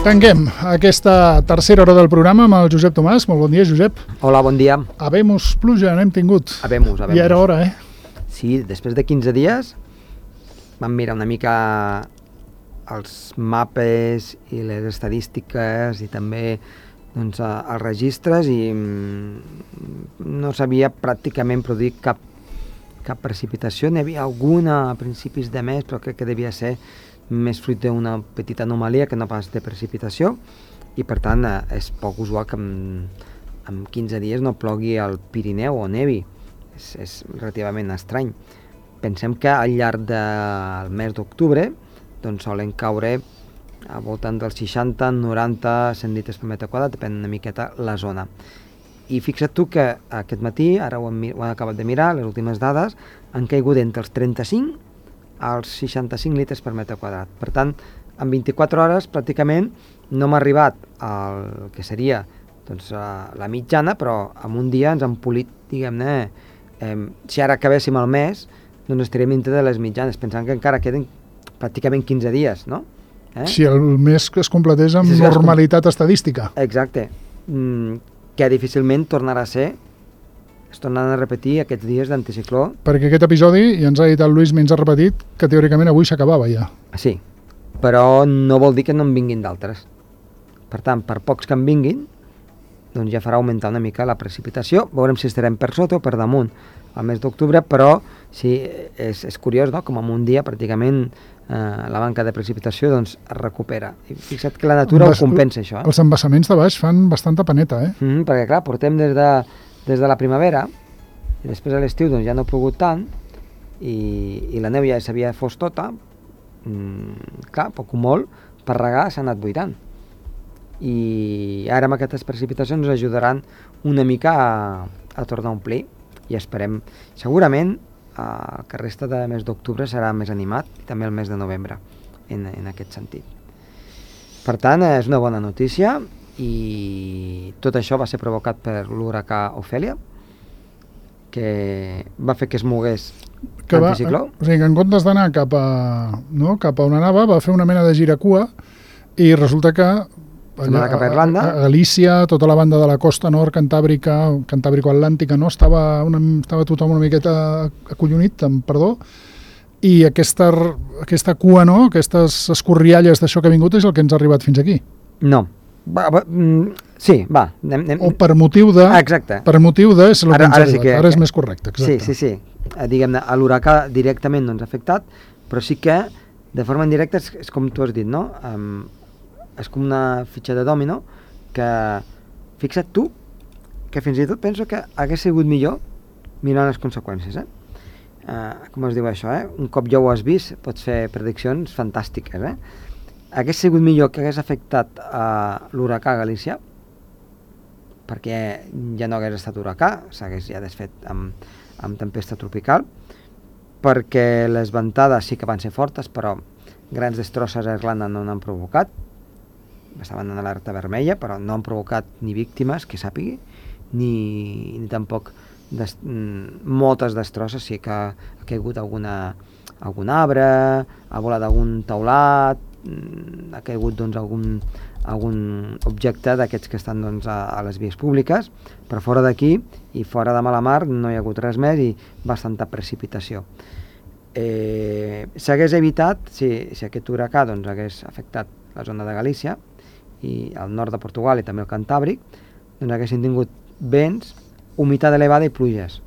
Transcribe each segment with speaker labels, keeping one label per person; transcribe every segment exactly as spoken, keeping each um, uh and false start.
Speaker 1: Tanquem aquesta tercera hora del programa amb el Josep Tomàs. Molt bon dia, Josep.
Speaker 2: Hola, bon dia.
Speaker 1: Habemus pluja, n'hem tingut.
Speaker 2: Habemus, habemus.
Speaker 1: Ja era hora, eh?
Speaker 2: Sí, després de quinze dies vam mirar una mica els mapes i les estadístiques i també doncs, els registres i no s'havia pràcticament produït cap, cap precipitació. N'hi havia alguna a principis de mes, però crec que devia ser més fruit d'una petita anomalia que no pas de precipitació, i per tant eh, és poc usual que en, en quinze dies no plogui al Pirineu o nevi. És, és relativament estrany. Pensem que al llarg del mes d'octubre doncs solen caure al voltant dels seixanta, noranta, cent litres per metre quadrat, depèn una miqueta la zona. I fixa't tu que aquest matí, ara ho hem, ho hem acabat de mirar, les últimes dades, han caigut entre els trenta-cinc als seixanta-cinc litres per metre quadrat. Per tant, en vint-i-quatre hores pràcticament no hem arribat al que seria doncs, la mitjana, però en un dia ens han polit, diguem-ne, eh, si ara acabéssim el mes, doncs estaríem dintre de les mitjanes, pensant que encara queden pràcticament quinze dies, no? Eh?
Speaker 1: Si el mes que es completés amb sí, sí, normalitat com... estadística.
Speaker 2: Exacte. Mm, que difícilment tornarà a ser, es tornaran a repetir aquests dies d'anticicló.
Speaker 1: Perquè aquest episodi, i ens ha dit el Lluís, ens ha repetit, que teòricament avui s'acabava ja.
Speaker 2: Sí, però no vol dir que no en vinguin d'altres. Per tant, per pocs que en vinguin, doncs ja farà augmentar una mica la precipitació. Veurem si estarem per sota o per damunt al mes d'octubre, però sí, és, és curiós, no?, com en un dia pràcticament eh, la manca de precipitació doncs, es recupera. I fixa't que la natura Embas... ho compensa, això. Eh?
Speaker 1: Els embassaments de baix fan bastanta paneta, eh?
Speaker 2: Mm, perquè, clar, portem des de, des de la primavera, i després a l'estiu doncs, ja no ha plogut tant, i, i la neu ja s'havia fos tota, mm, clar, poc o molt, per regar s'ha anat buidant. I ara amb aquestes precipitacions ens ajudaran una mica a, a tornar a omplir, i esperem, segurament, eh, que el resta de mes d'octubre serà més animat, i també el mes de novembre, en, en aquest sentit. Per tant, és una bona notícia, i tot això va ser provocat per l'huracà Ophelia, que va fer que es mogués l'anticicló.
Speaker 1: O sigui, que en comptes d'anar cap a, no, cap a on anava, va fer una mena de giracua, i resulta que
Speaker 2: allà, cap a Irlanda,
Speaker 1: a Galícia, tota la banda de la costa nord, cantàbrica, cantàbrico-atlàntica, no? Estava, una, estava tothom una miqueta acollonit, amb perdó, i aquesta, aquesta cua, no? Aquestes escorrialles d'això que ha vingut és el que ens ha arribat fins aquí.
Speaker 2: No. Va, va, mm, sí, va. Anem, anem.
Speaker 1: O per motiu de...
Speaker 2: Ah, exacte.
Speaker 1: Per motiu de... És el
Speaker 2: ara,
Speaker 1: que ens
Speaker 2: ara,
Speaker 1: ha
Speaker 2: sí
Speaker 1: arribat.
Speaker 2: que,
Speaker 1: Ara és més correcte, exacte.
Speaker 2: Sí, sí, sí. Eh, diguem-ne, l'huracà directament no ens ha afectat, però sí que de forma indirecta és, és com tu has dit, no? Um, és com una fitxa de dòmino que, fixa't tu, que fins i tot penso que hagués sigut millor mirant les conseqüències, eh? Uh, com es diu això, eh? Un cop ja ho has vist, pots fer prediccions fantàstiques, eh? Hagués sigut millor que hagués afectat uh, l'huracà a Galícia, perquè ja no hagués estat huracà, s'hagués ja desfet amb, amb tempesta tropical, perquè les ventades sí que van ser fortes, però grans destrosses a Irlanda no n'han provocat, estaven en alerta vermella, però no han provocat ni víctimes, que sàpigui, ni, ni tampoc des, moltes destrosses, sí que ha caigut alguna, algun arbre, ha volat algun teulat, ha caigut doncs, algun, algun objecte d'aquests que estan doncs, a, a les vies públiques, però fora d'aquí i fora de Malamar no hi ha hagut res més i bastanta precipitació. Eh, s'hagués evitat, si, si aquest huracà doncs, hagués afectat la zona de Galícia i el nord de Portugal i també el Cantàbric, doncs haguessin tingut vents, humitat elevada i pluges.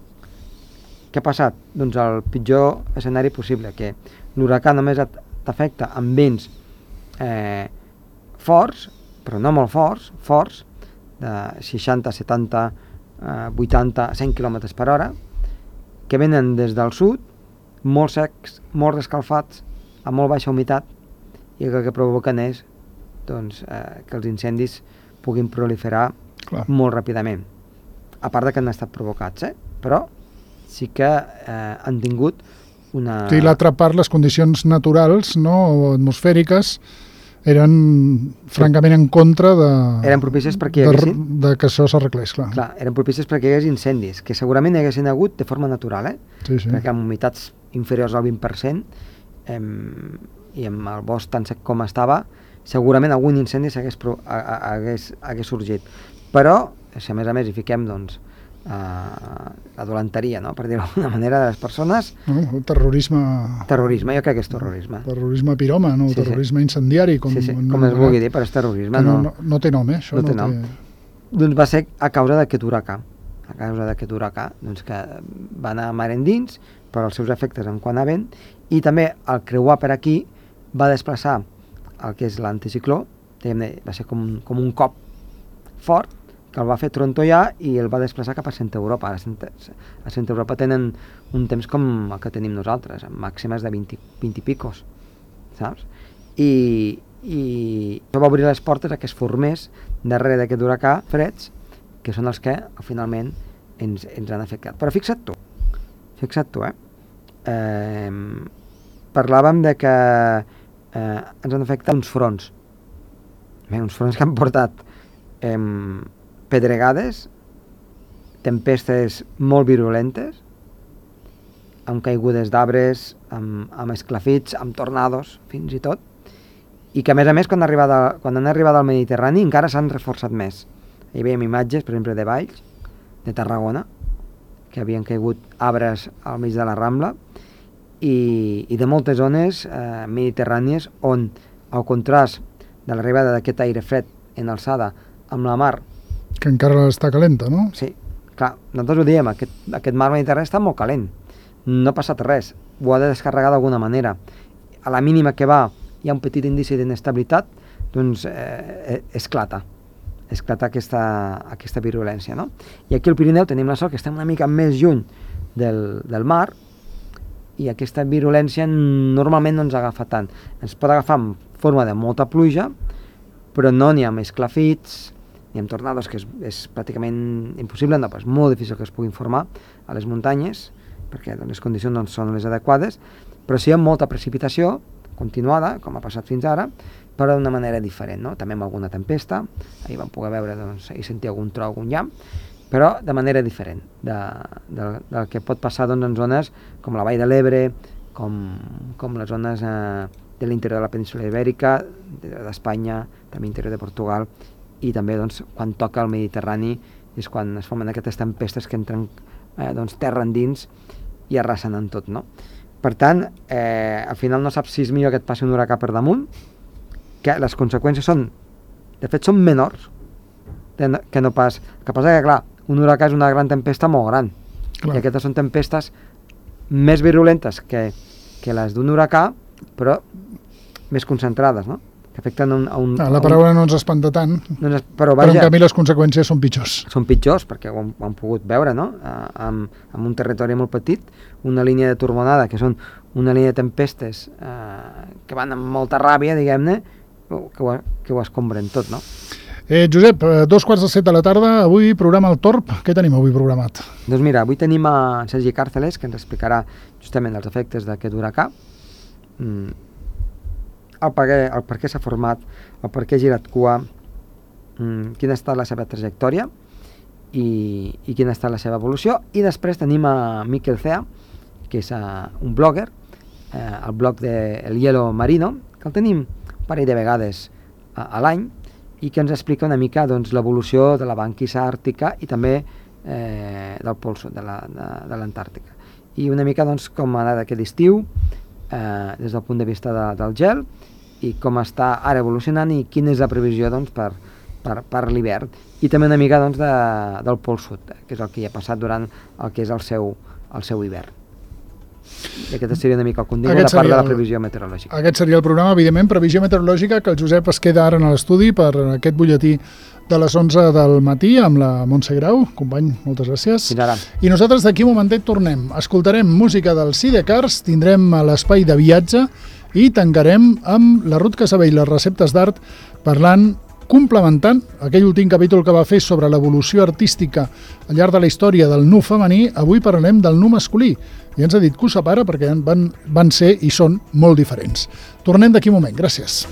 Speaker 2: Què ha passat? Doncs el pitjor escenari possible, que l'huracà només t'afecta amb vents eh, forts, però no molt forts, forts, de seixanta, setanta, eh, vuitanta, cent quilòmetres per hora, que venen des del sud, molt secs, molt escalfats, amb molt baixa humitat, i el que provoquen és doncs, eh, que els incendis puguin proliferar Clar. molt ràpidament. A part de que han estat provocats, eh? Però sí que eh, han tingut una...
Speaker 1: Sí, l'altra part, les condicions naturals, no, atmosfèriques, eren francament en contra de...
Speaker 2: Eren propícies perquè hi
Speaker 1: haguessin... De, de que això s'arreglés, clar.
Speaker 2: Clar, eren propícies perquè hi hagués incendis, que segurament hi haguessin hagut de forma natural, eh?
Speaker 1: Sí, sí.
Speaker 2: Perquè amb humitats inferiors al vint per cent, eh, i amb el bosc tan sec com estava, segurament algun incendi s'hagués pro- a- a- hagués, hagués sorgit. Però, si a més a més hi fiquem, doncs, uh, la dolenteria, no?, per dir-ho d'alguna manera, de les persones...
Speaker 1: No, terrorisme...
Speaker 2: Terrorisme, jo crec que és terrorisme.
Speaker 1: Terrorisme piròman o
Speaker 2: Sí, sí.
Speaker 1: terrorisme incendiari, com,
Speaker 2: Sí, sí,
Speaker 1: no,
Speaker 2: com es vulgui dir, però és terrorisme.
Speaker 1: no,
Speaker 2: No,
Speaker 1: no, no té nom, eh? Això
Speaker 2: no
Speaker 1: no,
Speaker 2: té nom. Doncs va ser a causa d'aquest huracà. A causa d'aquest huracà, doncs que va anar mar endins, però els seus efectes en quant a vent, i també al creuar per aquí va desplaçar el que és l'anticicló, diguem-ne, va ser com, com un cop fort, que el va fer trontollar i el va desplaçar cap a Centre Europa. A Centre, a Centre Europa tenen un temps com el que tenim nosaltres, amb màximes de vint, vint i picos, saps? I, i això va obrir les portes a que es formés darrere d'aquest huracà freds, que són els que finalment ens, ens han afectat. Però fixa't tu, fixa't tu, eh? eh parlàvem de que eh, ens han afectat uns fronts, Bé, uns fronts que han portat eh, pedregades, tempestes molt virulentes, amb caigudes d'arbres, amb, amb esclafits, amb tornados, fins i tot, i que a més a més quan, arribat a, quan han arribat al Mediterrani encara s'han reforçat més. Hi veiem imatges, per exemple, de Valls, de Tarragona, que havien caigut arbres al mig de la Rambla, i, i de moltes zones eh, mediterrànies on, al contrast de l'arribada d'aquest aire fred en alçada amb la mar...
Speaker 1: Que encara està calenta, no?
Speaker 2: Sí, clar, nosaltres ho diem, aquest, aquest mar mediterrani està molt calent, no ha passat res, ho ha de descarregar d'alguna manera. A la mínima que va hi ha un petit indici d'inestabilitat, doncs eh, esclata, esclata aquesta, aquesta virulència, no? I aquí al Pirineu tenim la sort que estem una mica més lluny del, del mar, i aquesta virulència normalment no ens agafa tant. Ens pot agafar en forma de molta pluja, però no n'hi ha amb esclafits, ni amb tornados, que és, és pràcticament impossible, no, és molt difícil que es puguin formar a les muntanyes, perquè les condicions no són les adequades, però sí amb molta precipitació continuada, com ha passat fins ara, però d'una manera diferent, no? També amb alguna tempesta, ahir vam poder veure, doncs, ahir sentir algun tro, algun llamp, però de manera diferent de, de, del que pot passar doncs, en zones com la Vall de l'Ebre, com, com les zones eh, de l'interior de la península Ibèrica, d'Espanya, també interior de Portugal, i també doncs, quan toca el Mediterrani és quan es formen aquestes tempestes que entren eh, doncs, terra endins i arrasen en tot, no? Per tant, eh, al final no saps si és millor que et passi un huracà per damunt, que les conseqüències són, de fet, són menors que no pas... El que passa que, clar, un huracà és una gran tempesta molt gran, clar. I aquestes són tempestes més virulentes que, que les d'un huracà, però més concentrades, no? Que afecten a un... A un
Speaker 1: ah, la paraula un... no ens espanta tant, no ens... però, vaja, però en canvi les conseqüències són pitjors.
Speaker 2: Són pitjors, perquè ho hem, ho hem pogut veure, no? Uh, amb, amb un territori molt petit, una línia de turbonada, que són una línia de tempestes uh, que van amb molta ràbia, diguem-ne, que ho, que ho escombren tot, no?
Speaker 1: Eh, Josep, dos quarts de set de la tarda, avui programa El Torb. Què tenim avui programat?
Speaker 2: Doncs mira, avui tenim a Sergi Càrceles, que ens explicarà justament els efectes d'aquest huracà, mm, el per què, el per què s'ha format, el per què ha girat cua, mm, quina ha estat la seva trajectòria i, i quina ha estat la seva evolució. I després tenim a Miquel Cea, que és uh, un blogger, uh, el blog de El Hielo Marino, que el tenim un parell de vegades uh, a l'any, i que ens explica una mica doncs, l'evolució de la banquisa àrtica i també eh, del pol sud, de l'Antàrtica. I una mica doncs, com ha anat aquest estiu, eh, des del punt de vista de, del gel, i com està ara evolucionant i quina és la previsió doncs, per, per, per l'hivern. I també una mica doncs, de, del pol sud, que és el que hi ha passat durant el que és el seu, el seu hivern. I aquesta seria una mica el contingut, a part de la previsió meteorològica.
Speaker 1: Aquest seria el programa, evidentment, previsió meteorològica, que el Josep es queda ara en l'estudi per aquest butlletí de les onze del matí amb la Montse Grau. Company, moltes gràcies.
Speaker 2: Fins ara.
Speaker 1: I nosaltres d'aquí un momentet tornem. Escoltarem música del Sidecars, tindrem l'espai de viatge i tancarem amb la Ruth Casabell, les receptes d'art, parlant, complementant aquell últim capítol que va fer sobre l'evolució artística al llarg de la història del nu femení. Avui parlarem del nu masculí. I ens ha dit que ho separa perquè van, van ser i són molt diferents. Tornem d'aquí un moment. Gràcies.